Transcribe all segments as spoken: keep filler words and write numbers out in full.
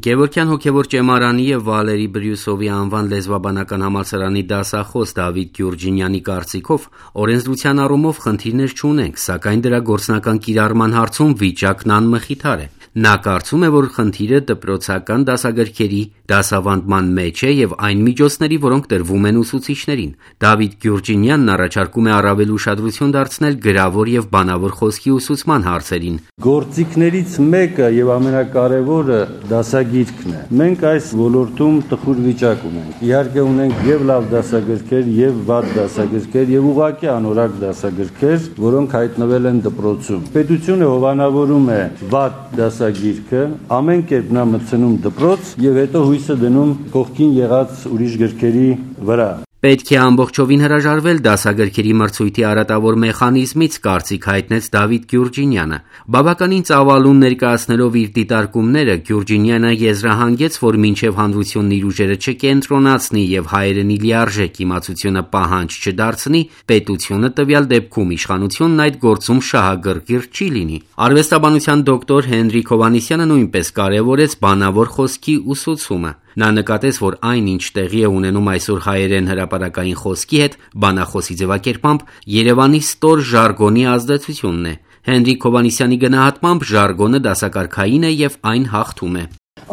Գևորգյան հոգևոր ճեմարանի եւ Վալերի Բրյուսովի անվան լեզվաբանական համալսարանի դասախոս Դավիթ Գյուրջինյանի կարծիքով օրենսդրության առումով խնդիրներ չունենք, սակայն դրա գործնական կիրառման հարցում վիճակն անմխիթար է։ Նա կարծում է, որ խնդիրը դպրոցական դասագրքերի դասավանդման մեջ է եւ այն միջոցների, որոնք տրվում են ուսուցիչներին։ Դավիթ Գյուրջինյանն առաջարկում է առավել ուշադրություն դարձնել գրավոր եւ բանավոր խոսքի ուսուցման հարցերին։ Գործիքներից մեկը եւ ամենակարևորը դասագիրքն է։ Մենք այս ոլորտում տխուր վիճակ ունենք։ Իհարկե ունենք եւ լավ դասագրքեր, եւ վատ դասագրքեր, եւ ուղղակի անորակ դասագրքեր, որոնք հայտնվել են դպրոցում։ Պետությունը հովանավորում է վատ դասագիրքը, ամեն կերպ նա մտցնում դպրոց եւ հետո հույսը դնում կողքին եղած ուրիշ գրքերի վրա։ Պետք է ամբողջովին հրաժարվել դասագրքերի մրցույթի արատավոր մեխանիզմից, կարծիք հայտնեց Դավիթ Գյուրջինյանը։ Բավականին ծավալուն ներկայացնելով իր դիտարկումները, Գյուրջինյանը եզրահանգեց, որ մինչև հանրությունն իր ուժերը չկենտրոնացնի եւ հայերենի լիարժեք իմացությունը պահանջ չդարձնի, պետությունը տվյալ դեպքում իշխանությունն այդ գործում շահագրգիռ չի լինի։ Արվեստաբանության դոկտոր Հենրիկ Հովհաննիսյանը նույնպես կարևորեց բանավոր խոսքի ուսուցումը։ Նա նկատեց, որ այն, ինչ տեղի է ունենում այսօր հայերեն հրապարակային խոսքի հետ, բանախոսի ձևակերպամբ Երևանի ստոր ժարգոնի ազդեցությունն է։ Հենրիկ Հովհաննիսյանի գնահատմամբ ժարգոնը դասակարգային է եւ այն հաղթում է։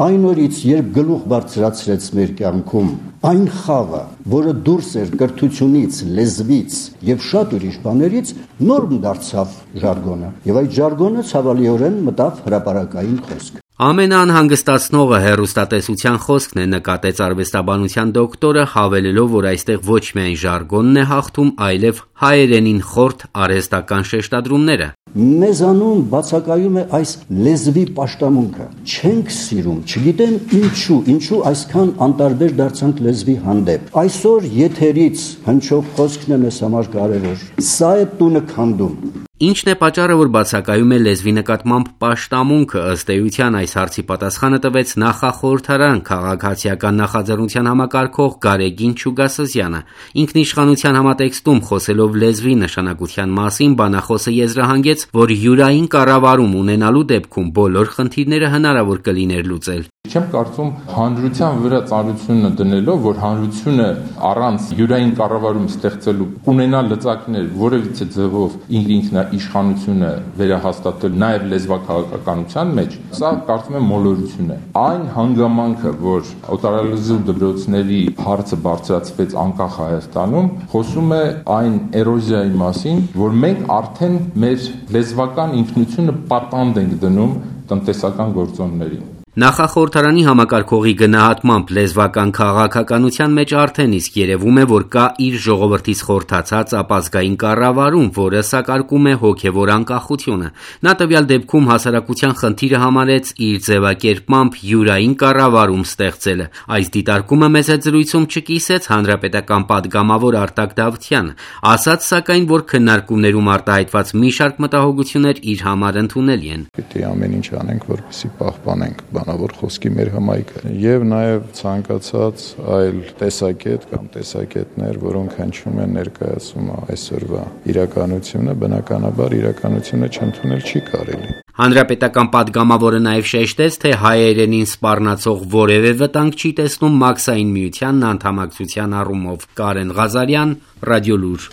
Այն օրից, երբ գլուխ բարձրացրեց մեր կյանքում այն խաղը, որը դուրս էր կրթությունից, լեզվից եւ շատ ուրիշ բաներից, նորմ դարձավ ժարգոնը։ Եվ այդ ժարգոնը ցավալիորեն մտավ հրապարակային խոսք։ Ամենաանհանգստացնողը հեռուստատեսության խոսքն է, նկատեց արվեստաբանության դոկտորը, հավելելով, որ այստեղ ոչ միայն ժարգոնն է հաղթում, այլև հայերենին խորթ արհեստական շեշտադրումները։ Մեզանում բացակայում է այս լեզվի պաշտամունքը։ Չենք սիրում, չգիտեմ ինչու, ինչու այսքան անտարբեր դարձանք լեզվի հանդեպ։ Այսօր եթերից հնչող խոսքն է մեզ համար կարևոր։ Սա է տունը քանդում։ Ինչն է պատճառը, որ բացակայում է լեզվի նկատմամբ պաշտամունքը, ըստ էության այս հարցի պատասխանը տվեց նախախորհրդարան քաղաքացիական նախաձեռնության համակարգող Գարեգին Չուգասզյանը։ Ինքնիշխանության համատեքստում խոսելով լեզվի նշանակության մասին, բանախոսը եզրահանգեց, որ յուրային կառավարում ունենալու դեպքում բոլոր խնդիրները հնարավոր կլիներ լուծել։ Չեմ կարծում հանրության վրա ծանրությունը դնելով, որ հանրությունը առանց յուրային կառավարում ստեղծելու ունենա լծակներ որևիցե ձևով ինքնիշխանությունը վերահաստատել նաև լեզվաքաղաքականության մեջ, սա կարծում եմ մոլորություն է։ Այն հանգամանքը, որ օտարալեզու դպրոցների հարցը բարձրացվեց անկախ Հայաստանում, խոսում է այն էրոզիայի մասին, որ մենք արդեն մեր լեզվական ինքնությունը պատանդ ենք դնում տնտեսական գործոններին։ Նախախորհրդարանի համակարգողի գնահատմամբ լեզվական քաղաքականության մեջ արդեն իսկ երևում է, որ կա իր ժողովրդից խորթացած ապազգային կառավարում, որը սակարկում է հոգևոր անկախությունը։ Նա տվյալ դեպքում հասարակության խնդիրը համարեց իր ձևակերպմամբ յուրային կառավարում ստեղծելը։ Այս դիտարկումը մեծ զրույցում չկիսեց հանրապետական պատգամավոր Արտակ Դավթյանը, ասաց սակայն, որ քննարկումներում արտահայտված մի շարք մտահոգություններ իր համար ընդունելի են։ Պետք է ամեն ինչ անենք, որպեսզի պահպանենք բանավոր խոսքի մեր հմայքը եւ նաեւ ցանկացած այլ տեսակետ կամ տեսակետներ, որոնք հնչում են ներկայացում այսօրվա իրականությունը, բնականաբար իրականությունը չընդունել չի կարելի։ Հանրապետական պատգամավորը նաև շեշտեց, թե հայերենին սպառնացող որևէ վտանգ չի տեսնում Մաքսային միությանն անդամակցության առումով։ Կարեն Ղազարյան, Ռադիոլուր։